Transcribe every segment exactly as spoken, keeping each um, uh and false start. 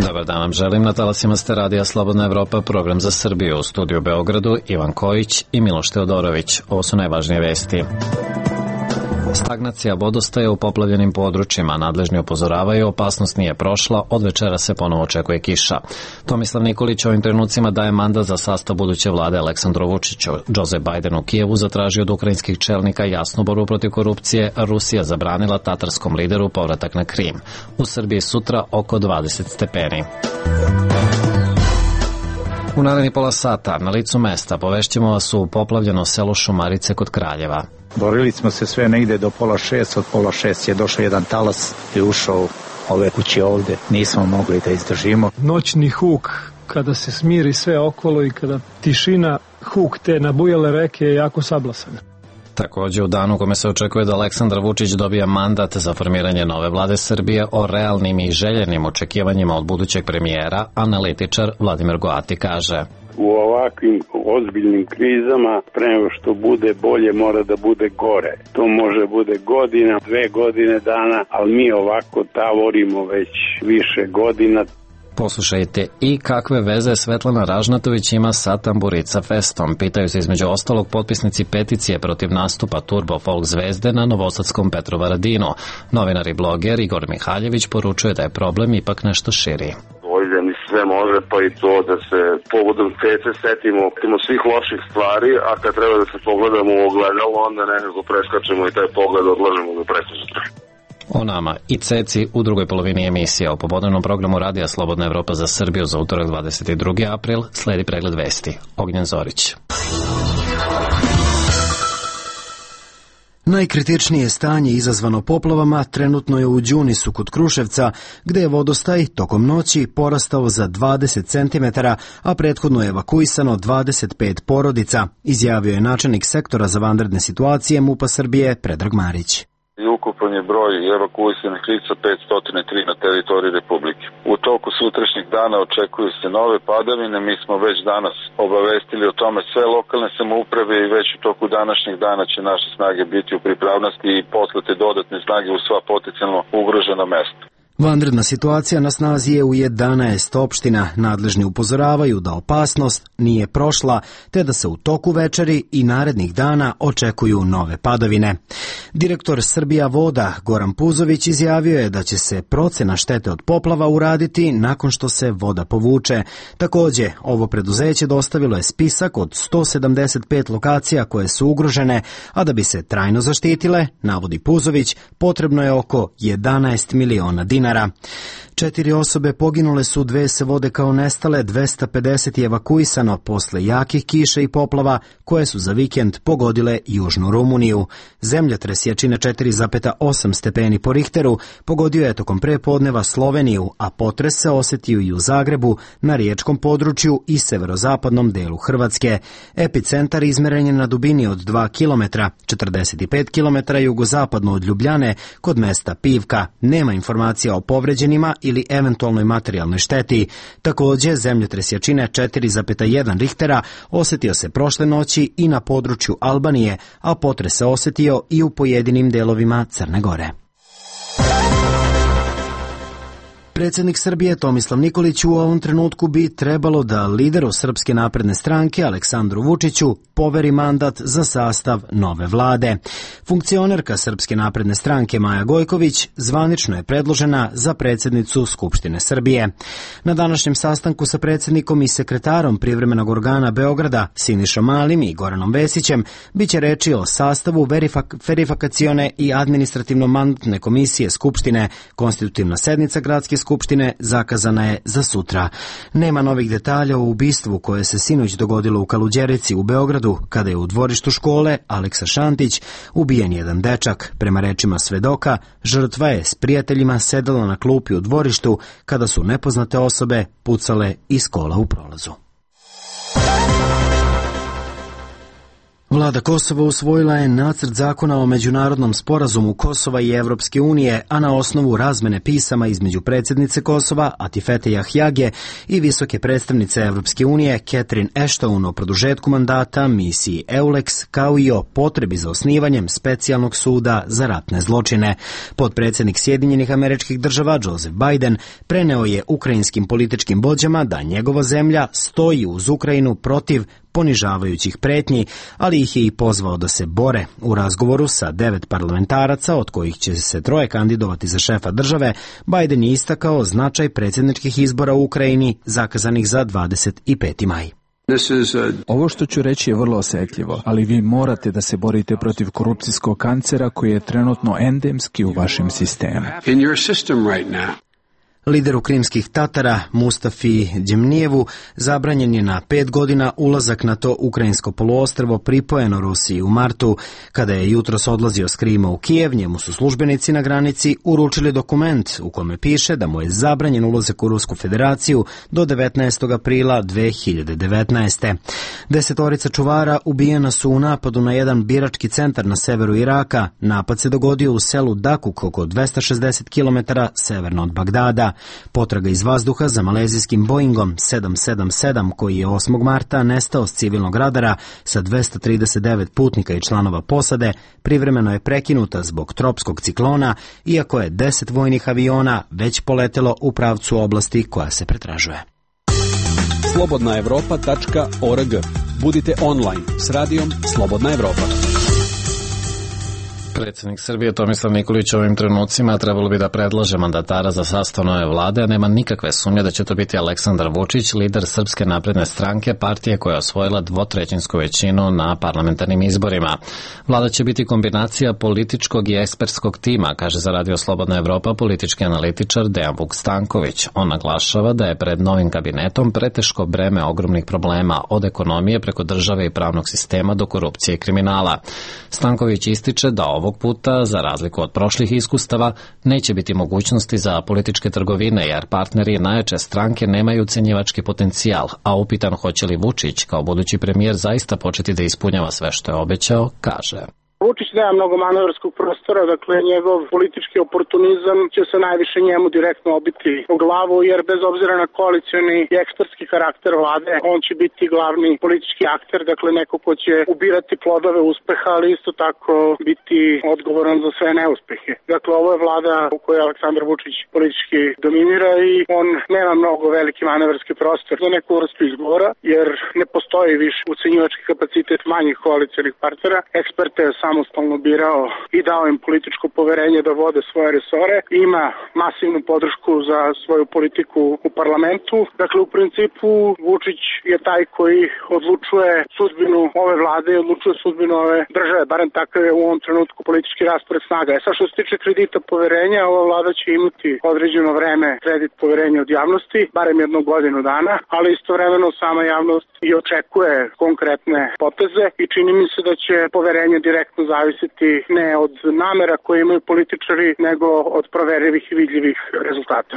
Dobar dan vam želim, na talasima ste Radija Slobodna Evropa, program za Srbiju, u studiju u Beogradu, Ivan Kojić i Miloš Teodorović. Ovo su najvažnije vesti. Stagnacija vodostaja u poplavljenim područjima, nadležni upozoravaju, opasnost nije prošla, od večera se ponovo očekuje kiša. Tomislav Nikolić ovim trenucima daje mandat za sastav buduće vlade Aleksandru Vučiću. Joe Biden u Kijevu zatražio od ukrajinskih čelnika jasnu borbu protiv korupcije, a Rusija zabranila tatarskom lideru povratak na Krim. U Srbiji sutra oko dvadeset stepeni. U naredni pola sata na licu mesta povešćemo vas u poplavljeno selo Šumarice kod Kraljeva. Borili smo se sve negde do pola šest, od pola šest je došao jedan talas i ušao ove kuće ovde. Nismo mogli da izdržimo. Noćni huk, kada se smiri sve okolo i kada tišina, huk te nabujale reke je jako sablasan. Takođe, u danu kome se očekuje da Aleksandar Vučić dobija mandat za formiranje nove vlade Srbije, o realnim i željenim očekivanjima od budućeg premijera, analitičar Vladimir Goati kaže: u ovakvim ozbiljnim krizama, pre nego što bude bolje, mora da bude gore. To može bude godina, dve godine dana, ali mi ovako tavorimo već više godina. Poslušajte i kakve veze Svetlana Ražnatović ima sa Tamburica Festom. Pitaju se između ostalog potpisnici peticije protiv nastupa Turbo Folk zvezde na novosadskom Petrovaradinu. Novinar i bloger Igor Mihaljević poručuje da je problem ipak nešto širi. Mi sve može, pa i to da se povodom tece setimo svih loših stvari, a kad treba da se pogledamo u ogledalo, onda nekako preskačemo i taj pogled odlažemo do presutra. O nama i ceci u drugoj polovini emisije. O popodnevnom programu Radija Slobodna Evropa za Srbiju za utorak dvadeset drugi april sledi pregled vesti. Ognjen Zorić. Najkritičnije stanje izazvano poplavama trenutno je u Đunisu kod Kruševca, gde je vodostaj tokom noći porastao za dvadeset centimetara, a prethodno je evakuisano dvadeset pet porodica, izjavio je načelnik sektora za vanredne situacije MUP-a Srbije Predrag Marić. I ukupan je broj evakuisanih lica petsto tri na teritoriji Republike. U toku sutrašnjeg dana očekuju se nove padavine, mi smo već danas obavestili o tome sve lokalne samouprave i već u toku današnjeg dana će naše snage biti u pripravnosti i poslati dodatne snage u sva potencijalno ugrožena mesta. Vanredna situacija na snazi je u jedanaest opština. Nadležni upozoravaju da opasnost nije prošla, te da se u toku večeri i narednih dana očekuju nove padavine. Direktor Srbija voda Goran Puzović izjavio je da će se procena štete od poplava uraditi nakon što se voda povuče. Takođe, ovo preduzeće dostavilo je spisak od sto sedamdeset pet lokacija koje su ugrožene, a da bi se trajno zaštitile, navodi Puzović, potrebno je oko jedanaest miliona dinara. Četiri osobe poginule su, dve se vode kao nestale, dvesta pedeset je evakuisano posle jakih kiša i poplava koje su za vikend pogodile južnu Rumuniju. Zemljotres jačine četiri zarez osam stepeni po Richteru pogodio je tokom prepodneva Sloveniju, a potres se osetio i u Zagrebu, na riječkom području i severozapadnom delu Hrvatske. Epicentar izmeren je na dubini od dva kilometra, četrdeset pet kilometara jugozapadno od Ljubljane, kod mesta Pivka. Nema informacija o povređenima ili eventualnoj materijalnoj šteti. Takođe, zemljotres jačine četiri zarez jedan Richtera osetio se prošle noći i na području Albanije, a potres se osetio i u pojedinim delovima Crne Gore. Predsjednik Srbije Tomislav Nikolić u ovom trenutku bi trebalo da lideru Srpske napredne stranke Aleksandru Vučiću poveri mandat za sastav nove vlade. Funkcionerka Srpske napredne stranke Maja Gojković zvanično je predložena za predsjednicu Skupštine Srbije. Na današnjem sastanku sa predsjednikom i sekretarom privremenog organa Beograda Sinišom Malim i Goranom Vesićem biće reči o sastavu verifak- verifikacione i administrativno-mandatne komisije Skupštine. Konstitutivna sednica gradske Skupštine zakazana je za sutra. Nema novih detalja o ubistvu koje se sinoć dogodilo u Kaluđerici u Beogradu, kada je u dvorištu škole Aleksa Šantić ubijen jedan dečak. Prema rečima svedoka, žrtva je s prijateljima sedela na klupi u dvorištu kada su nepoznate osobe pucale iz kola u prolazu. Vlada Kosova usvojila je nacrt zakona o međunarodnom sporazumu Kosova i Evropske unije, a na osnovu razmene pisama između predsjednice Kosova, Atifete Ahjage, i visoke predstavnice Evropske unije, Catherine Ashton, o produžetku mandata misiji EULEX, kao i o potrebi za osnivanjem specijalnog suda za ratne zločine. Potpredsjednik Sjedinjenih Američkih Država, Joseph Biden, preneo je ukrajinskim političkim vođama da njegova zemlja stoji uz Ukrajinu protiv ponižavajućih pretnji, ali ih je i pozvao da se bore. U razgovoru sa devet parlamentaraca, od kojih će se troje kandidovati za šefa države, Biden je istakao značaj predsjedničkih izbora u Ukrajini zakazanih za dvadeset peti maj. Ovo što ću reći je vrlo osjetljivo, ali vi morate da se borite protiv korupcijskog kancera koji je trenutno endemski u vašem sistemu. Lideru krimskih Tatara, Mustafi Džemnijevu, zabranjen je na pet godina ulazak na to ukrajinsko poluostrvo pripojeno Rusiji u martu. Kada je jutros odlazio s Krima u Kijev, njemu su službenici na granici uručili dokument u kome piše da mu je zabranjen ulazak u Rusku federaciju do devetnaestog aprila dve hiljade devetnaeste. Desetorica čuvara ubijena su u napadu na jedan birački centar na severu Iraka. Napad se dogodio u selu Dakuk, oko dvesta šezdeset kilometara severno od Bagdada. Potraga iz vazduha za malezijskim Boeingom sedam sedam sedam, koji je osmog marta nestao s civilnog radara sa dvesta trideset devet putnika i članova posade, privremeno je prekinuta zbog tropskog ciklona, iako je deset vojnih aviona već poletelo u pravcu oblasti koja se pretražuje. slobodna evropa tačka org. Budite online s radijom Slobodna Evropa. Predsjednik Srbije Tomislav Nikolić u ovim trenucima trebalo bi da predlaže mandatara za sastav nove vlade, a nema nikakve sumnje da će to biti Aleksandar Vučić, lider Srpske napredne stranke, partije koja je osvojila dvotrećinsku većinu na parlamentarnim izborima. Vlada će biti kombinacija političkog i ekspertskog tima, kaže za Radio Slobodna Evropa politički analitičar Dejan Vuk Stanković. On naglašava da je pred novim kabinetom preteško breme ogromnih problema, od ekonomije preko države i pravnog sistema do korupcije i kriminala. Stanković ističe da ovog puta, za razliku od prošlih iskustava, neće biti mogućnosti za političke trgovine, jer partneri najjače stranke nemaju ucenjivački potencijal, a upitan hoće li Vučić kao budući premijer zaista početi da ispunjava sve što je obećao, kaže. Vučić nema mnogo manevarskog prostora, dakle njegov politički oportunizam će se najviše njemu direktno obiti u glavu, jer bez obzira na koalicioni i ekspertski karakter vlade, on će biti glavni politički akter, dakle neko ko će ubirati plodove uspeha, ali isto tako biti odgovoran za sve neuspehe. Dakle, ovo je vlada u kojoj Aleksandar Vučić politički dominira i on nema mnogo veliki manevarski prostor za neku vrstu izgovora, jer ne postoji više ucenjivački kapacitet manjih koalicionih partnera. Eksperte je samostalno birao i dao im političko poverenje da vode svoje resore. Ima masivnu podršku za svoju politiku u parlamentu. Dakle, u principu Vučić je taj koji odlučuje sudbinu ove vlade i odlučuje sudbinu ove države, barem takav je u ovom trenutku politički raspored snaga. E sad, što se tiče kredita poverenja, ova vlada će imati određeno vreme kredit poverenja od javnosti, barem jednu godinu dana, ali istovremeno sama javnost i očekuje konkretne poteze i čini mi se da će poverenje direktno zavisiti ne od namera koje imaju političari, nego od proverivih i vidljivih rezultata.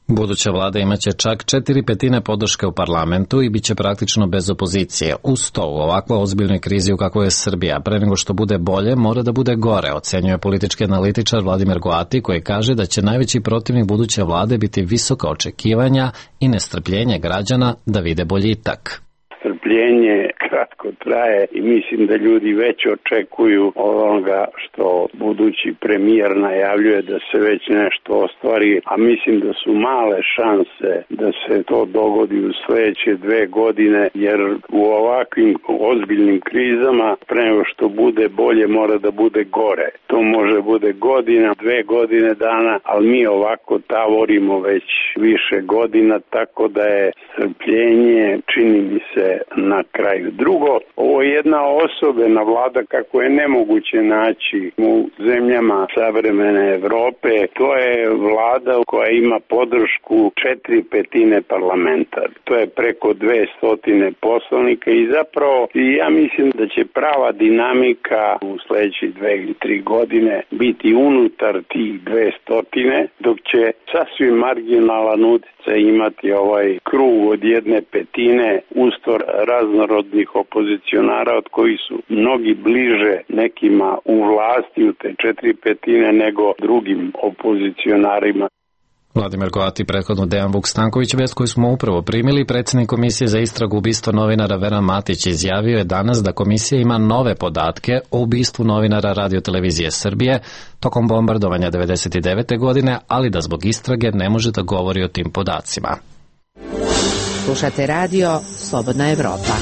Buduća vlada imaće čak četiri petine podrške u parlamentu i bit će praktično bez opozicije. Uz to, u ovakvoj ozbiljnoj krizi u kakvoj je Srbija, pre nego što bude bolje, mora da bude gore, ocenjuje politički analitičar Vladimir Goati, koji kaže da će najveći protivnik buduće vlade biti visoka očekivanja i nestrpljenje građana da vide boljitak. Strpljenje kratko traje i mislim da ljudi već očekuju onoga što budući premijer najavljuje da se već nešto ostvari, a mislim da su male šanse da se to dogodi u sledeće dve godine, jer u ovakvim ozbiljnim krizama pre nego što bude bolje mora da bude gore. To može bude godina, dve godine dana, ali mi ovako tavorimo već više godina, tako da je strpljenje, čini mi se, na kraju. Drugo, ovo je jedna osobena vlada kako je nemoguće naći u zemljama savremene Evrope. To je vlada koja ima podršku četiri petine parlamenta. To je preko dvesta poslanika i zapravo ja mislim da će prava dinamika u sledećih dve ili tri godine biti unutar tih dvesta, dok će sasvim marginalan utjecaj imati ovaj krug od jedne petine, ustor raznorodnih opozicionara od kojih su mnogi bliže nekima u vlasti u te četiri petine nego drugim opozicionarima. Vladimir Goati, prethodno Dejan Vuk Stanković, vest koju smo upravo primili, predsjednik Komisije za istragu ubistva novinara Veran Matić izjavio je danas da komisija ima nove podatke o ubistvu novinara Radio-televizije Srbije tokom bombardovanja devedeset devete godine, ali da zbog istrage ne može da govori o tim podacima. Slušate radio Slobodna Evropa.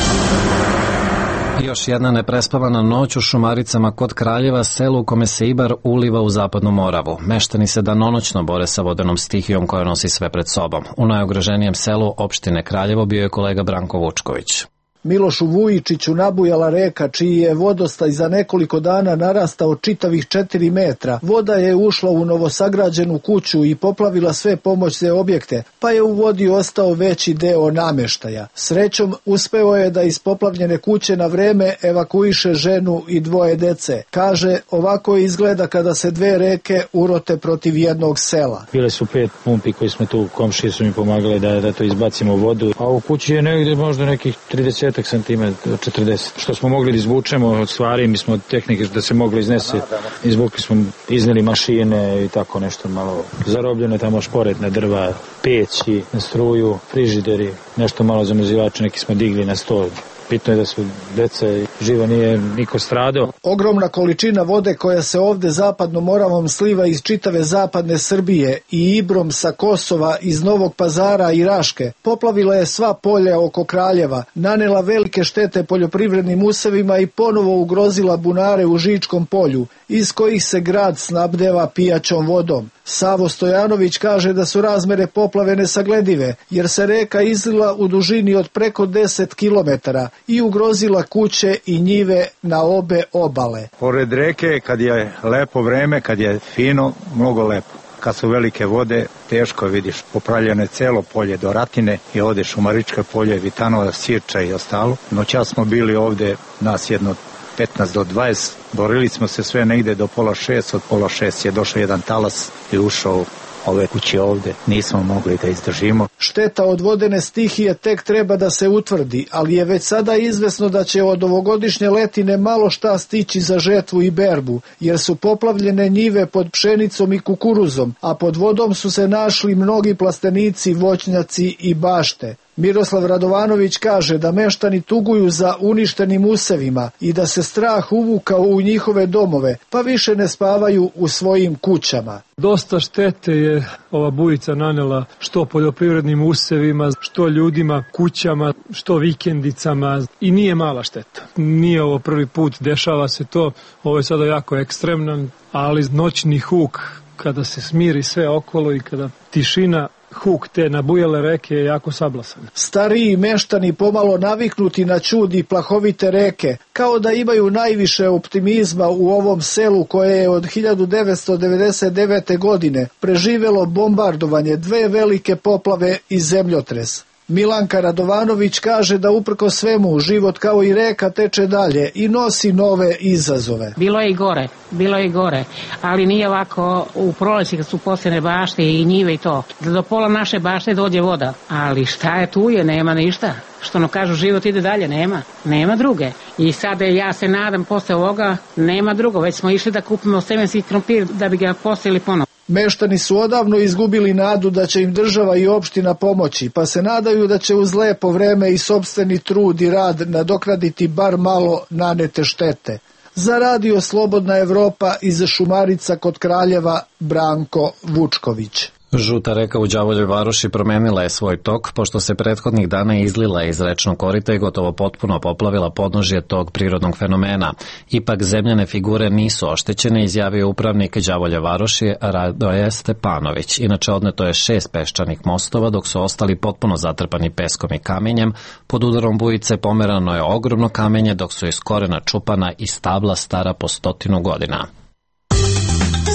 Još jedna neprespavana noć u Šumaricama kod Kraljeva, selu u kome se Ibar uliva u zapadnu Moravu. Meštani se danonoćno bore sa vodenom stihijom koja nosi sve pred sobom. U najugroženijem selu opštine Kraljevo bio je kolega Branko Vučković. Milošu Vujičiću nabujala reka čiji je vodostaj za nekoliko dana narastao čitavih četiri metra. Voda je ušla u novosagrađenu kuću i poplavila sve pomoćne objekte, pa je u vodi ostao veći deo nameštaja. Srećom, uspeo je da iz poplavljene kuće na vreme evakuiše ženu i dvoje dece. Kaže, ovako izgleda kada se dve reke urote protiv jednog sela. Bile su pet pumpi koji smo tu, komšije su mi pomagali da, da to izbacimo vodu, a u kući je negdje možda nekih trideset centimetra, četrdeset. Što smo mogli da izvučemo od stvari, mi smo od tehnike da se mogli iznese, izvukli smo, izneli mašine i tako nešto malo. Zarobljeno je tamo šporetna drva, peći, na struju, frižideri, nešto malo zamrzivače, neki smo digli na sto. Bitno je da su dece živa, nije niko stradao. Ogromna količina vode koja se ovde zapadnom Moravom sliva iz čitave zapadne Srbije i Ibrom sa Kosova, iz Novog Pazara i Raške poplavila je sva polja oko Kraljeva, nanela velike štete poljoprivrednim usevima i ponovo ugrozila bunare u Žičkom polju, iz kojih se grad snabdeva pijaćom vodom. Savo Stojanović kaže da su razmere poplave nesagledive, jer se reka izlila u dužini od preko deset kilometara i ugrozila kuće i njive na obe obale. Pored reke, kad je lepo vreme, kad je fino, mnogo lepo. Kad su velike vode, teško vidiš, popravljeno je celo polje do Ratine i ovde Šumaričko polje, Vitanova, Sirča i ostalo. Noćas smo bili ovde, nas jedno petnaest do dvadeset, borili smo se sve negde do pola šest, od pola šest je došao jedan talas i ušao ove kuće ovde, nismo mogli da izdržimo. Šteta od vodene stihije tek treba da se utvrdi, ali je već sada izvesno da će od ovogodišnje letine malo šta stići za žetvu i berbu, jer su poplavljene njive pod pšenicom i kukuruzom, a pod vodom su se našli mnogi plastenici, voćnjaci i bašte. Miroslav Radovanović kaže da meštani tuguju za uništenim usevima i da se strah uvukao u njihove domove, pa više ne spavaju u svojim kućama. Dosta štete je ova bujica nanela što poljoprivrednim usevima, što ljudima, kućama, što vikendicama i nije mala šteta. Nije ovo prvi put, dešava se to, ovo je sada jako ekstremnan, ali noćni huk kada se smiri sve okolo i kada tišina, huk te nabujale reke je jako sablasan. Stariji meštani pomalo naviknuti na čud i plahovite reke, kao da imaju najviše optimizma u ovom selu koje je od hiljadu devetsto devedeset devete. godine preživelo bombardovanje, dve velike poplave i zemljotres. Milanka Radovanović kaže da uprko svemu život kao i reka teče dalje i nosi nove izazove. Bilo je i gore, bilo je i gore, ali nije ovako u proleći kad su posljedne bašte i njive i to. Da do pola naše bašte dođe voda, ali šta je tu je, nema ništa. Što no kažu, život ide dalje, nema, nema druge. I sada ja se nadam posle ovoga, nema drugo, već smo išli da kupimo semenski krompir da bi ga posejali ponovo. Meštani su odavno izgubili nadu da će im država i opština pomoći, pa se nadaju da će uz lepo vreme i sopstveni trud i rad nadoknaditi bar malo nanete štete. Za radio Slobodna Evropa iz Šumarica kod Kraljeva, Branko Vučković. Žuta reka u Đavoljoj Varoši promenila je svoj tok, pošto se prethodnih dana izlila iz rečnog korita i gotovo potpuno poplavila podnožje tog prirodnog fenomena. Ipak zemljane figure nisu oštećene, izjavio upravnik Đavolje Varoši Radoje Stepanović. Inače odneto je šest peščanih mostova, dok su ostali potpuno zatrpani peskom i kamenjem. Pod udarom bujice pomerano je ogromno kamenje, dok su iz korena čupana i stabla stara po stotinu godina.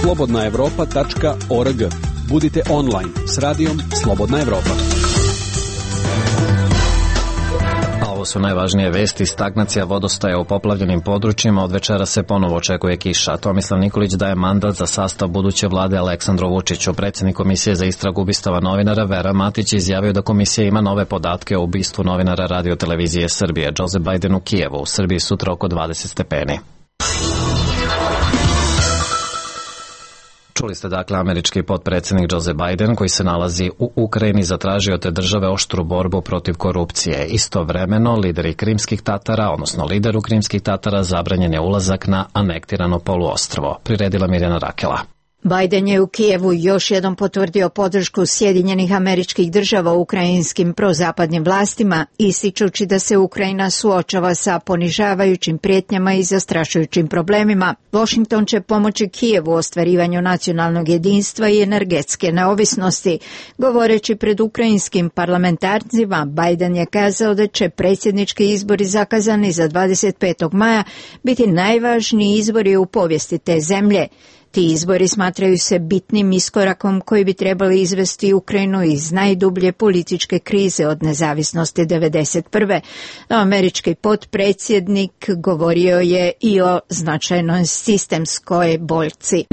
slobodna evropa tačka org. Budite online s radijom Slobodna Evropa. Ovo su najvažnije vesti. Stagnacija vodostaja u poplavljenim područjima. Od večera se ponovo očekuje kiša. Tomislav Nikolić daje mandat za sastav buduće vlade Aleksandru Vučiću. Predsjednik Komisije za istragu ubistava novinara Vera Matić izjavio da komisija ima nove podatke o ubistvu novinara Radio televizije Srbije. Joe Biden u Kijevu. U Srbiji sutra oko dvadeset stepeni. Čuli ste dakle američki potpredsjednik Joe Biden koji se nalazi u Ukrajini zatražio te države oštru borbu protiv korupcije. Istovremeno lideri Krimskih Tatara, odnosno lideru Krimskih Tatara zabranjen je ulazak na anektirano poluostrvo. Priredila Mirjana Rakela. Biden je u Kijevu još jednom potvrdio podršku Sjedinjenih Američkih Država ukrajinskim prozapadnim vlastima, ističući da se Ukrajina suočava sa ponižavajućim prijetnjama i zastrašujućim problemima. Washington će pomoći Kijevu u ostvarivanju nacionalnog jedinstva i energetske neovisnosti. Govoreći pred ukrajinskim parlamentarcima, Biden je kazao da će predsjednički izbori zakazani za dvadeset petog maja biti najvažniji izbori u povijesti te zemlje. Ti izbori smatraju se bitnim iskorakom koji bi trebali izvesti Ukrajinu iz najdublje političke krize od nezavisnosti devedeset prve. No, američki potpredsjednik govorio je i o značajnoj sistemskoj boljci.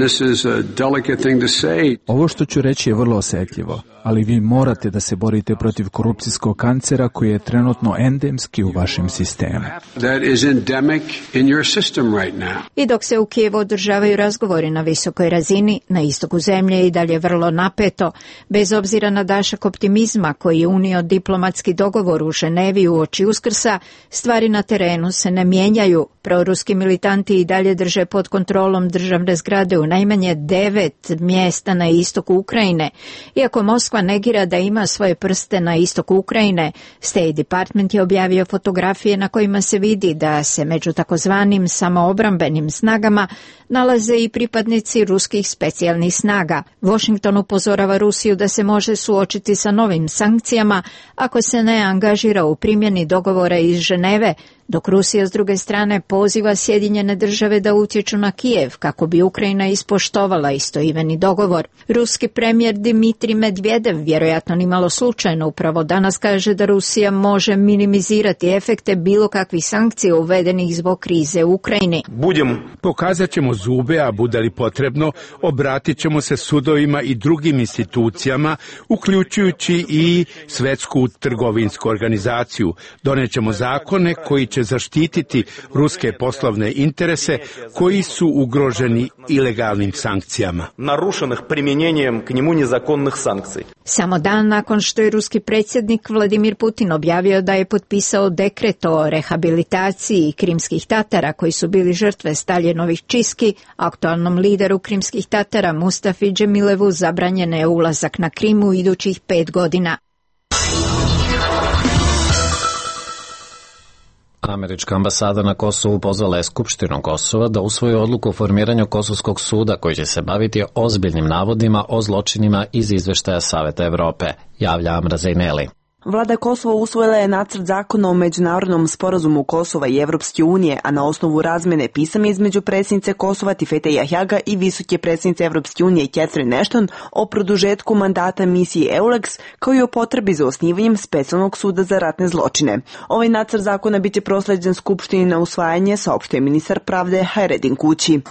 Ovo što ću reći je vrlo osjetljivo, ali vi morate da se borite protiv korupcijskog kancera koji je trenutno endemski u vašem sistemu. I dok se u Kijevu održavaju razgovori na visokoj razini, na istoku zemlje je i dalje vrlo napeto. Bez obzira na dašak optimizma koji je unio diplomatski dogovor u Ženevi uoči Uskrsa, stvari na terenu se ne mijenjaju. Proruski militanti i dalje drže pod kontrolom državne zgrade u najmanje devet mjesta na istoku Ukrajine. Iako Moskva negira da ima svoje prste na istoku Ukrajine, State Department je objavio fotografije na kojima se vidi da se među takozvanim samoobrambenim snagama nalaze i pripadnici ruskih specijalnih snaga. Washington upozorava Rusiju da se može suočiti sa novim sankcijama ako se ne angažira u primjeni dogovora iz Ženeve, dok Rusija s druge strane poziva Sjedinjene države da utječu na Kijev kako bi Ukrajina ispoštovala istoimeni dogovor. Ruski premijer Dmitrij Medvedev vjerojatno nimalo slučajno upravo danas kaže da Rusija može minimizirati efekte bilo kakvih sankcija uvedenih zbog krize u Ukrajini. Budem, pokazat ćemo zube, a bude li potrebno, obratit ćemo se sudovima i drugim institucijama, uključujući i Svetsku trgovinsku organizaciju. Donećemo zakone koji će zaštititi ruske poslovne interese koji su ugroženi ilegalnim sankcijama. Narušenih primjenjenjem k njemu nezakonnih sankcija. Samo dan nakon što je ruski predsjednik Vladimir Putin objavio da je potpisao dekret o rehabilitaciji Krimskih Tatara koji su bili žrtve Staljinovih čistki, aktualnom lideru Krimskih Tatara Mustafi Džemilevu zabranjen je ulazak na Krim u idućih pet godina. Američka ambasada na Kosovu pozvala je Skupštinu Kosova da usvoji odluku o formiranju Kosovskog suda koji će se baviti ozbiljnim navodima o zločinima iz izveštaja Saveta Evrope, javlja Amra Zejneli. Vlada Kosova usvojila je nacrt zakona o međunarodnom sporazumu Kosova i Evropske unije, a na osnovu razmene pisama između predsjednice Kosova Tifete Jahjaga i visoke predsjednice Evropske unije Catherine Ashton o produžetku mandata misiji EULEX kao i o potrebi za osnivanjem specijalnog suda za ratne zločine. Ovaj nacrt zakona biće prosleđen Skupštini na usvajanje, saopštio je ministar pravde Hayreddin Kući.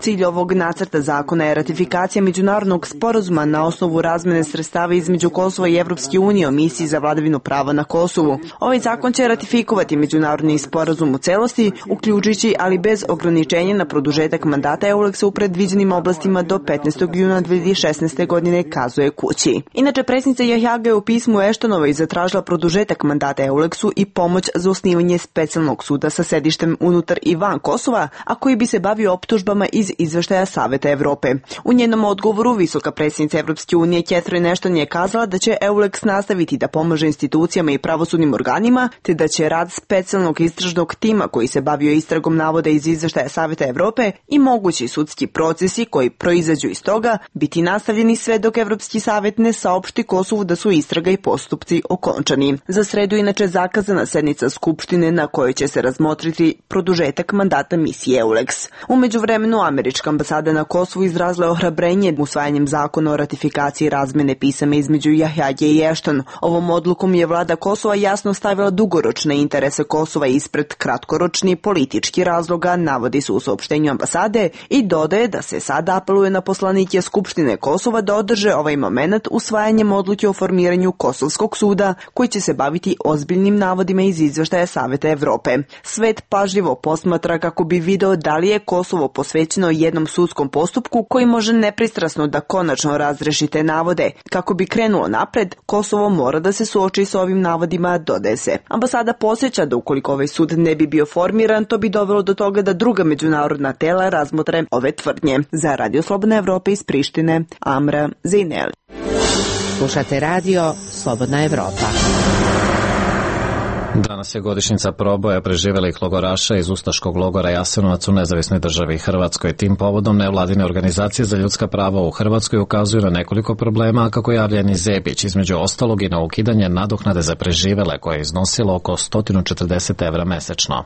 Cilj ovog nacrta zakona je ratifikacija međunarodnog sporazuma na osnovu razmene sredstava između Kosova i Evropske unije o misiji za vladavinu prava na Kosovu. Ovaj zakon će ratifikovati međunarodni sporazum u celosti, uključujući ali bez ograničenja na produžetak mandata EULEX-a u predviđenim oblastima do petnaestog juna dve hiljade šesnaeste. godine, kazuje Kući. Inače, predsjednica Jahjaga je u pismu Eštonovoj zatražila produžetak mandata EULEX-u i pomoć za osnivanje specijalnog suda sa sedištem unutar i van Kosova, a koji bi se bavio optužbama iz izveštaja Saveta Evrope. U njenom odgovoru visoka predsjednica Evropske unije Catherine Ashton je kazala da će EULEX nastaviti da pomaže institucijama i pravosudnim organima, te da će rad specijalnog istražnog tima koji se bavio istragom navoda iz izveštaja Saveta Evrope i mogući sudski procesi koji proizađu iz toga biti nastavljeni sve dok Evropski savet ne saopšti Kosovu da su istraga i postupci okončani. Za sredu inače zakazana sednica Skupštine na kojoj će se razmotriti produžetak mandata misije EULEX. U međuvremenu američka ambasada na Kosovu izrazila ohrabrenje usvajanjem zakona o ratifikaciji razmene pisama između Jahjage i Ashton. Ovom odlukom je vlada Kosova jasno stavila dugoročne interese Kosova ispred kratkoročni politički razloga, navodi se u saopštenju ambasade i dodaje da se sada apeluje na poslanike Skupštine Kosova da održe ovaj moment usvajanjem odluke o formiranju Kosovskog suda koji će se baviti ozbiljnim navodima iz izveštaja Saveta Evrope. Svet pažljivo posmatra kako bi video da li je Kosovo posvećeno jednom sudskom postupku koji može nepristrasno da konačno razreši te navode. Kako bi krenulo napred, Kosovo mora da se suoči sa ovim navodima, dodaje se. Ambasada posjeća da ukoliko ovaj sud ne bi bio formiran, to bi dovelo do toga da druga međunarodna tela razmotre ove tvrdnje. Za Radio Slobodna Evropa iz Prištine, Amra Zejneli. Slušate radio Slobodna Evropa. Danas je godišnjica proboja preživelih logoraša iz ustaškog logora Jasenovac u nezavisnoj državi Hrvatskoj. Tim povodom nevladine organizacije za ljudska prava u Hrvatskoj ukazuju na nekoliko problema, kako javlja Eni Zebić, između ostalog i na ukidanje nadoknade za preživele koje je iznosilo oko sto četrdeset evra mesečno.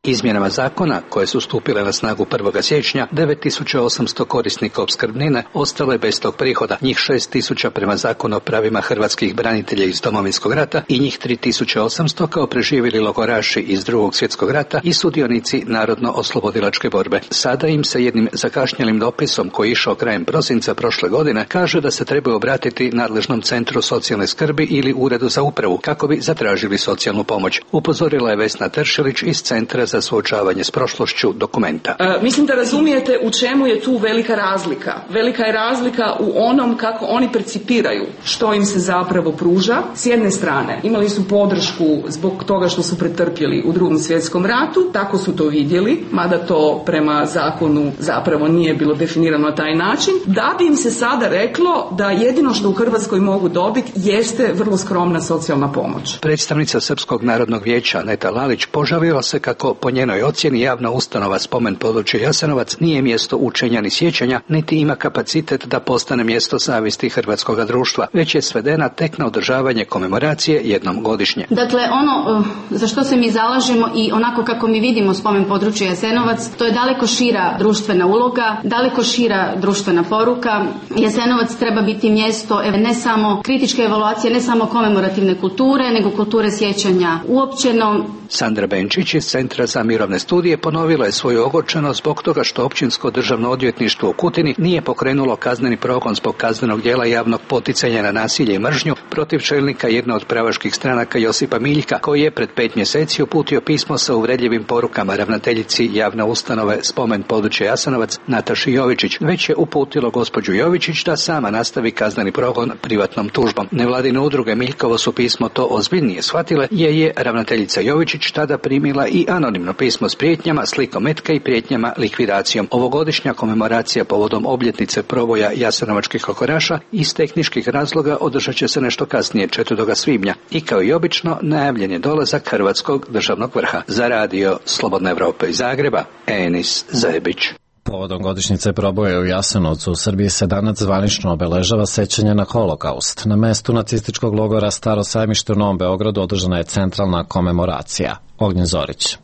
Izmjenama zakona, koje su stupile na snagu prvog siječnja, devet tisuća osamsto korisnika opskrbnine ostalo je bez tog prihoda, njih šest tisuća prema zakonu o pravima hrvatskih branitelja iz Domovinskog rata i njih tri tisuće osamsto kao preživjeli logoraši iz Drugog svjetskog rata i sudionici narodno-oslobodilačke borbe. Sada im se jednim zakašnjelim dopisom koji je išao krajem prosinca prošle godine kaže da se trebaju obratiti nadležnom centru socijalne skrbi ili uredu za upravu kako bi zatražili socijalnu pomoć. Upozorila je Vesna Teršelić iz Centra za suočavanje s prošlošću dokumenta. E, mislim da razumijete u čemu je tu velika razlika. Velika je razlika u onom kako oni percipiraju što im se zapravo pruža. S jedne strane imali su podršku zbog toga što su pretrpjeli u Drugom svjetskom ratu, tako su to vidjeli, mada to prema zakonu zapravo nije bilo definirano na taj način, da bi im se sada reklo da jedino što u Hrvatskoj mogu dobiti jeste vrlo skromna socijalna pomoć. Predstavnica Srpskog narodnog vijeća Neta Lalić požalila se kako po njenoj ocjeni javna ustanova Spomen područje Jasenovac nije mjesto učenja ni sjećanja, niti ima kapacitet da postane mjesto savjesti hrvatskog društva, već je svedena tek na održavanje komemoracije jednom godišnje. Dakle, ono za što se mi zalažemo i onako kako mi vidimo Spomen područje Jasenovac, to je daleko šira društvena uloga, daleko šira društvena poruka. Jasenovac treba biti mjesto ne samo kritičke evaluacije, ne samo komemorativne kulture, nego kulture sjećanja uopćeno. Sandra Benčić iz Centra za mirovne studije ponovila je svoju ogorčenost zbog toga što Općinsko državno odvjetništvo u Kutini nije pokrenulo kazneni progon zbog kaznenog djela javnog poticanja na nasilje i mržnju protiv čelnika jedne od pravaških stranaka Josipa Miljka, koji je pred pet mjeseci uputio pismo sa uvredljivim porukama ravnateljici javne ustanove Spomen područje Jasenovac Nataši Jovičić. Već je uputilo gospođu Jovičić da sama nastavi kazneni progon privatnom tužbom. Nevladine udruge Miljkovo su pismo to ozbiljnije shvatile, jer je ravnateljica Jovičić tada primila i anonimno pismo s prijetnjama, slikom metka i prijetnjama likvidacijom. Ovogodišnja komemoracija povodom obljetnice proboja jasenovačkih logoraša iz tehničkih razloga održat će se nešto kasnije, četvrtog svibnja. I kao i obično najavljen je dolazak Hrvatskog državnog vrha. Za radio Slobodna Evropa iz Zagreba, Enis Zebić. Povodom godišnjice proboja u Jasenovcu u Srbiji se danas zvanično obeležava sećanje na holokaust. Na mestu nacističkog logora Staro sajmište u Novom Beogradu održana je centralna komemoracija. Ognjen Zorić.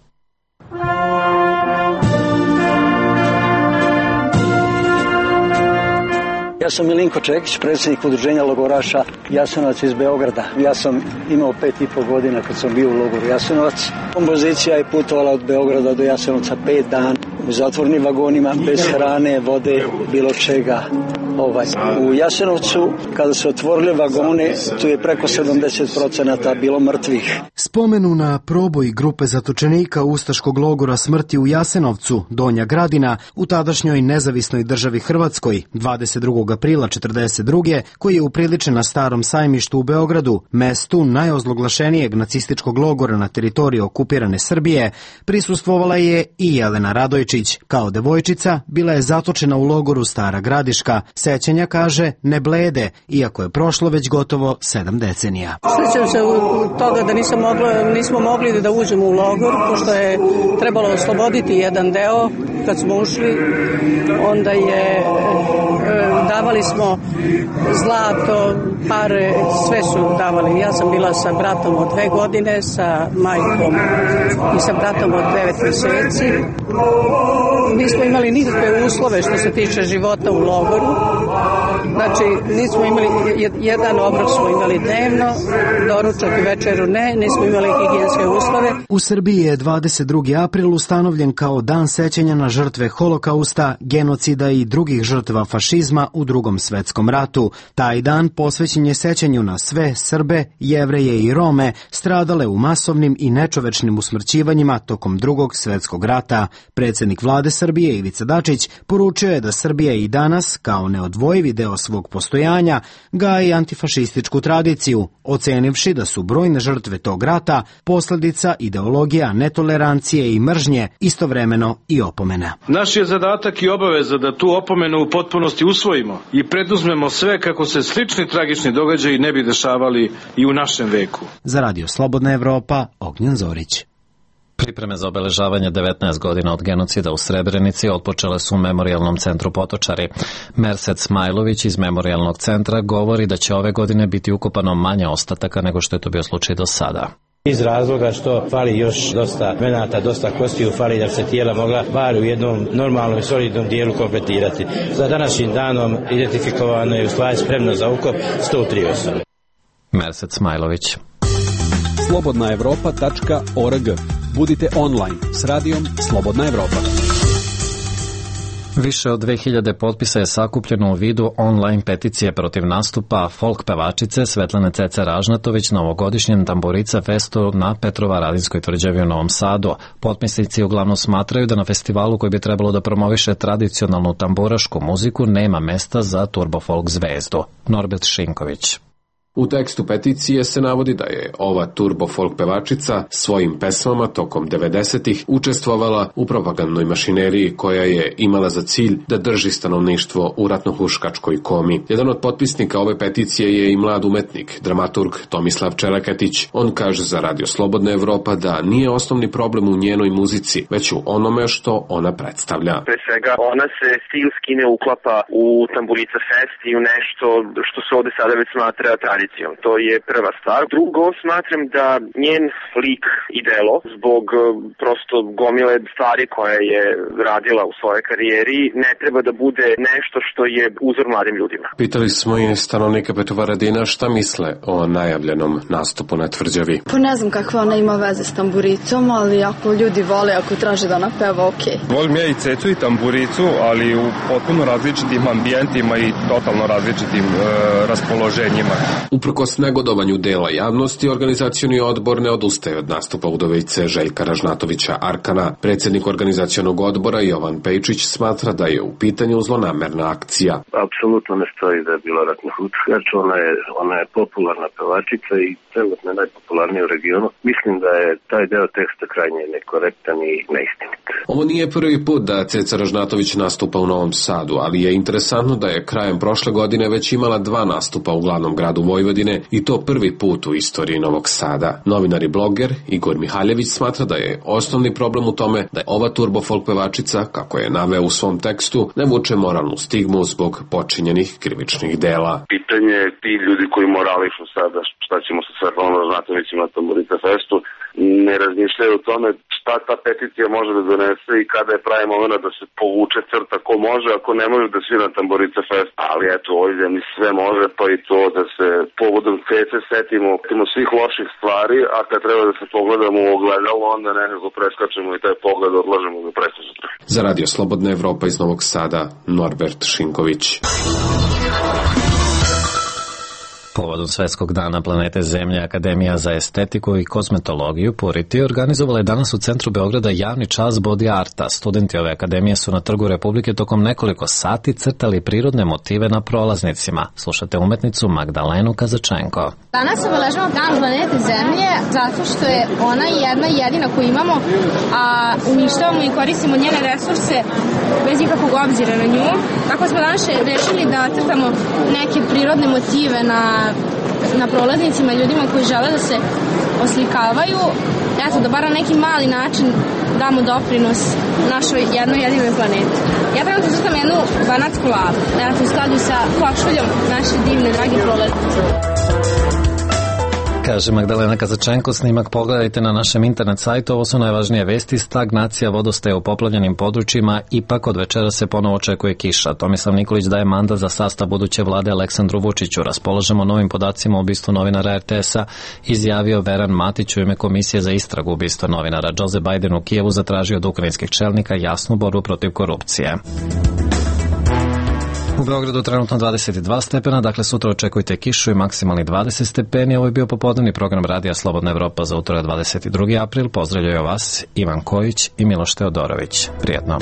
Ja sam Milinko Čekić, predsjednik udruženja logoraša Jasenovac iz Beograda. Ja sam imao pet i pol godina kad sam bio u logoru Jasenovac. Kompozicija je putovala od Beograda do Jasenovca pet dana u zatvornim vagonima, bez hrane, vode, bilo čega. Ovaj. U Jasenovcu, kada se otvorili vagone, tu je preko sedamdeset procenata bilo mrtvih. Spomenu na proboj grupe zatočenika ustaškog logora smrti u Jasenovcu, Donja Gradina, u tadašnjoj nezavisnoj državi Hrvatskoj, dvadeset drugog aprila četrdeset druge koji je upriličen na Starom sajmištu u Beogradu, mestu najozloglašenijeg nacističkog logora na teritoriji okupirane Srbije, prisustvovala je i Jelena Radojčić. Kao devojčica bila je zatočena u logoru Stara Gradiška. Sećanja, kaže, ne blede, iako je prošlo već gotovo sedam decenija. Sjećam se u toga da nisam moglo, nismo mogli da uđemo u logor, pošto je trebalo osloboditi jedan deo. Kad smo ušli, onda je, davali smo zlato, pare, sve su davali. Ja sam bila sa bratom od dve godine, sa majkom i sa bratom od devet mjeseci. Nismo imali nikakve uslove što se tiče života u logoru. Znači, nismo imali, jedan obrok smo imali dnevno, doručak i večeru ne, nismo imali higijenske uslove. U Srbiji je dvadeset drugi april ustanovljen kao dan sećanja na žrtve Holokausta, genocida i drugih žrtva fašizma u Drugom svetskom ratu. Taj dan posvećen je sećanju na sve Srbe, Jevreje i Rome stradale u masovnim i nečovečnim usmrćivanjima tokom Drugog svetskog rata. Predsjednik vlade Srbije Ivica Dačić poručio je da Srbija i danas, kao neodvojivi deo svog postojanja, gaji antifašističku tradiciju, ocenivši da su brojne žrtve tog rata posljedica ideologija netolerancije i mržnje, istovremeno i opomena. Naš je zadatak i obaveza da tu opomenu u potpunosti usvojimo i preduzmemo sve kako se slični tragični događaji ne bi dešavali i u našem veku. Za Radio Slobodna Evropa, Ognjen Zorić. Pripreme za obeležavanje devetnaest godina od genocida u Srebrenici otpočele su u Memorijalnom centru Potočari. Mersed Smajlović iz Memorijalnog centra govori da će ove godine biti ukopano manje ostataka nego što je to bio slučaj do sada. Iz razloga što fali još dosta venata, dosta kostiju, fali da se tijela mogla bar u jednom normalnom i solidnom dijelu kompletirati. Za današnjim danom identifikovano je u stvari spremno za ukop sto tri osobe. Mersed Smajlović. slobodna evropa tačka org. Budite online s radijom Slobodna Evropa. Više od dve hiljade potpisa je sakupljeno u vidu online peticije protiv nastupa folk pevačice Svetlane Cece Ražnatović na ovogodišnjem Tamburica festu na Petrovaradinskoj tvrđavi u Novom Sadu. Potpisnici uglavnom smatraju da na festivalu koji bi trebalo da promoviše tradicionalnu tamburašku muziku nema mesta za turbo folk zvezdu. Norbert Šinković. U tekstu peticije se navodi da je ova turbo folk pevačica svojim pesmama tokom devedesetih učestvovala u propagandnoj mašineriji koja je imala za cilj da drži stanovništvo u ratnohuškačkoj komi. Jedan od potpisnika ove peticije je i mlad umetnik, dramaturg Tomislav Čeleketić. On kaže za Radio Slobodna Evropa da nije osnovni problem u njenoj muzici, već u onome što ona predstavlja. Pre svega, ona se stilski ne uklapa u Tamburica Fest i u nešto što se ovde sada već smatra tradicijom. To je prva stvar. Drugo, smatram da njen lik i delo, zbog prosto gomile stvari koje je radila u svojoj karijeri, ne treba da bude nešto što je uzor mladim ljudima. Pitali smo i stanovnika Petrovaradina šta misle o najavljenom nastupu na tvrđavi. Pa ne znam kakve ona ima veze s tamburicom, ali ako ljudi vole, ako traže da ona peva, okej. Okay. Volim ja i cecu i tamburicu, ali u potpuno različitim ambijentima i totalno različitim e, raspoloženjima. Uprkos negodovanju dela javnosti, organizacioni odbor ne odustaje od nastupa udovice Željka Ražnatovića Arkana. Predsjednik organizacionog odbora Jovan Pejčić smatra da je u pitanju zlonamerna akcija. Apsolutno ne stoji da je bila ratnohuškač, ona je, ona je popularna pevačica i trenutno najpopularnija u regionu. Mislim da je taj deo teksta krajnje nekorektan i neistinit. Ovo nije prvi put da Ceca Ražnatović nastupa u Novom Sadu, ali je interesantno da je krajem prošle godine već imala dva nastupa u glavnom gradu Vojvodine i to prvi put u istoriji Novog Sada. Novinar i bloger Igor Mihaljević smatra da je osnovni problem u tome da je ova turbo folk pevačica, kako je naveo u svom tekstu, ne vuče moralnu stigmu zbog počinjenih krivičnih dela. Pitanje je ti ljudi koji morališu sada šta ćemo sa Svetlanom Ražnatovićem na Tamburica Festu, ne razmišljaju o tome šta ta peticija može da donese i kada je pravi moment da se povuče crta ko može, ako ne može da svira Tamburica Fest. Ali eto, ovdje zemlji sve može, pa i to da se povodom Cece setimo, setimo svih loših stvari, a kad treba da se pogledamo u ogledalo, onda nekako preskačemo i taj pogled odlažemo do prekosutra. Za Radio Slobodna Evropa iz Novog Sada, Norbert Šinković. Povodom Svetskog dana planete Zemlje, Akademija za estetiku i kozmetologiju Puriti organizovala je danas u centru Beograda javni čas body arta. Studenti ove akademije su na Trgu Republike tokom nekoliko sati crtali prirodne motive na prolaznicima. Slušate umetnicu Magdalenu Kazačenko. Danas obeležavamo dan planete Zemlje zato što je ona jedna jedina koju imamo, a uništavamo i koristimo njene resurse bez ikakvog obzira na nju. Tako smo danas rešili da crtamo neke prirodne motive na na prolaznicima, ljudima koji žele da se oslikavaju, eto, da bar na neki mali način damo doprinos našoj jednoj jedinoj planeti. Ja trenutno crtam jednu banatsku lavu, eto, u skladu sa košuljom naše divne, drage prolaznice. Kaže Magdalena Kazačenko, snimak pogledajte na našem internet sajtu. Ovo su najvažnije vesti. Stagnacija vodostaja u poplavljenim područjima, ipak od večera se ponovo očekuje kiša. Tomislav Nikolić daje mandat za sastav buduće vlade Aleksandru Vučiću. Raspolažemo novim podacima o ubistvu novinara er te es-a, izjavio Veran Matić u ime Komisije za istragu ubistva novinara. Joe Biden u Kijevu zatražio od ukrajinskih čelnika jasnu borbu protiv korupcije. U Beogradu trenutno dvadeset dva stepena, dakle sutra očekujte kišu i maksimalni dvadeset stepeni. Ovo je bio popodnevni program Radija Slobodna Evropa za utorak dvadeset drugi april. Pozdravljaju vas Ivan Kojić i Miloš Teodorović. Prijetno.